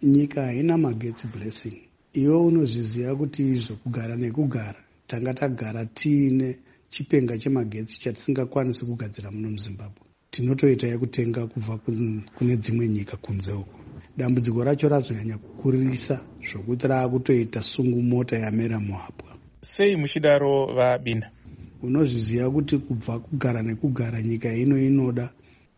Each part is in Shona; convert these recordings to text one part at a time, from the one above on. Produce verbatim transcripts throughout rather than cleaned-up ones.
Nyika haina magetsi, Blessing. Iwe unozviziva kuti izvo kugara nekugara tanga tagara tiine chipenga chemagetsi chatisingakwanisi kugadzira muno muZimbabwe. Tinotoita yekutenga kubva kune dzimwe nyika kunze uko. Dambudziko racho razonyanya kukurisa zvokuti raakutoita sungu mota yamera muhapwa. Sei muchidaro, VaBina? Unozviziva kuti kubva kugara nekugara nyika ino inoda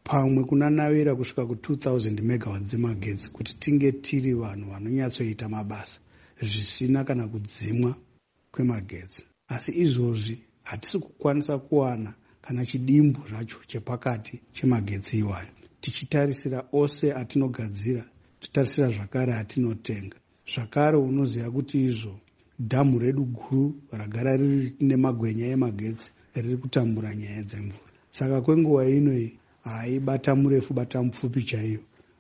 pamwe kunanavira kusvika ku two thousand megawatts dzemagetsi kuti tinge tiri vanhu vanonyatsoita mabasa zvisina kana kudzimwa kwemagetsi. Asi izvozvi hatisi kukwanisa kuwana kana chidimbu zvacho chepakati chemagetsi iwayo, tichitarisira ose atinogadzira, totarisira zvakare atinotenga. Zvakare unoziva kuti izvo dhamu redu guru ragara riri nemagwenya emagetsi riri kutambura nyaya dzemvura. Saka kwenguva inoi haibata murefu bata mupfupi chaiyo,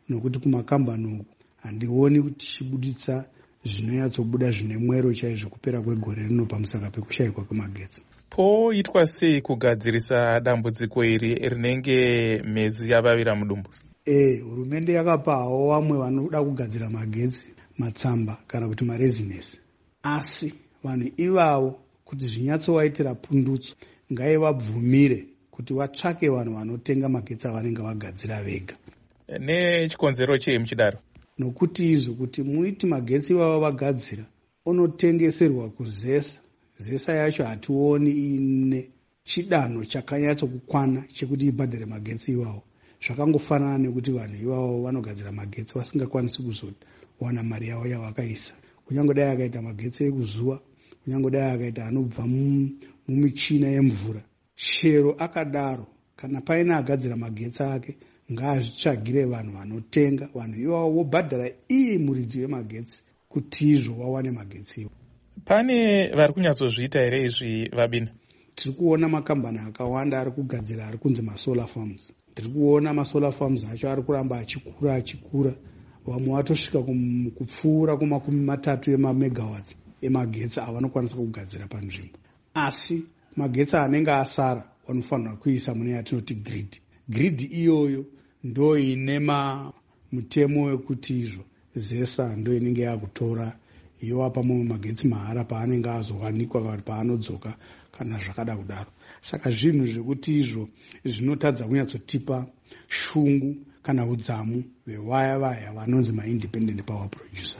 nokuti kumakambani uku handioni kuti tichibuditsa zvinonyatsobuda zvine mwero chaizvo kupera kwegore rino pamusaka pekushayikwa kwemagetsi. Poitwa sei kugadzirisa dambudziko iri rinenge mhezi yavavira mudumbu? E, hurumende yakapawo vamwe vanoda kugadzira magetsi matsamba kana kuti marezinesi, asi vanhu ivavo kuti zvinyatsovaitira pundutso, ngaivabvumire kuti vatsvake vanhu vanotenga magetsi avanenge vagadzira vega. Nechikonzero chei muchidaro? Nokuti izvo kuti muiti magetsi ivavo vagadzira onotengeserwa kuZESA, ZESA yacho hationi ine chidanho chakanyatsokukwana chekuti ibhadhare magetsi iwawo. Zvakangofanana nekuti vanhu ivavo vanogadzira magetsi vasingakwanisi kuzowana mari yavo yavakaisa, kunyange dai akaita magetsi ekuzuva, kunyange dai akaita anobva mumichina yemvura. Chero akadaro, kana paine agadzira magetsi ake, ngaazvitsvagire vanhu vanotenga. Vanhu ivavo vobhadhara iye muridzi wemagetsi kuti izvo vawane magetsi iwo. Pane vari kunyatsozviita here izvi, VaBina? Tiri kuona makambani akawanda ari kugadzira ari kunzi masolar farms. Tiri kuona masolar farms acho ari kuramba achikura achikura. Vamwe vatosvika kupfuura kumakumi matatu emamegawatts emagetsi avanokwanisa kugadzira panzvimbo, asi magetsi anenge asara vanofanira kuisa mune yatinoti grid. Grid iyoyo ndo ine mutemo wekuti izvo ZESA ndo inenge yakutora, yovapa mumwe magetsi mahara paanenge azowanikwa kana paanodzoka kana zvakada kudaro. Saka zvinhu zvekuti izvo zvinotadza kunyatsotipa shungu kana udzamu vewaya vaya vanonzi maindependent power producer.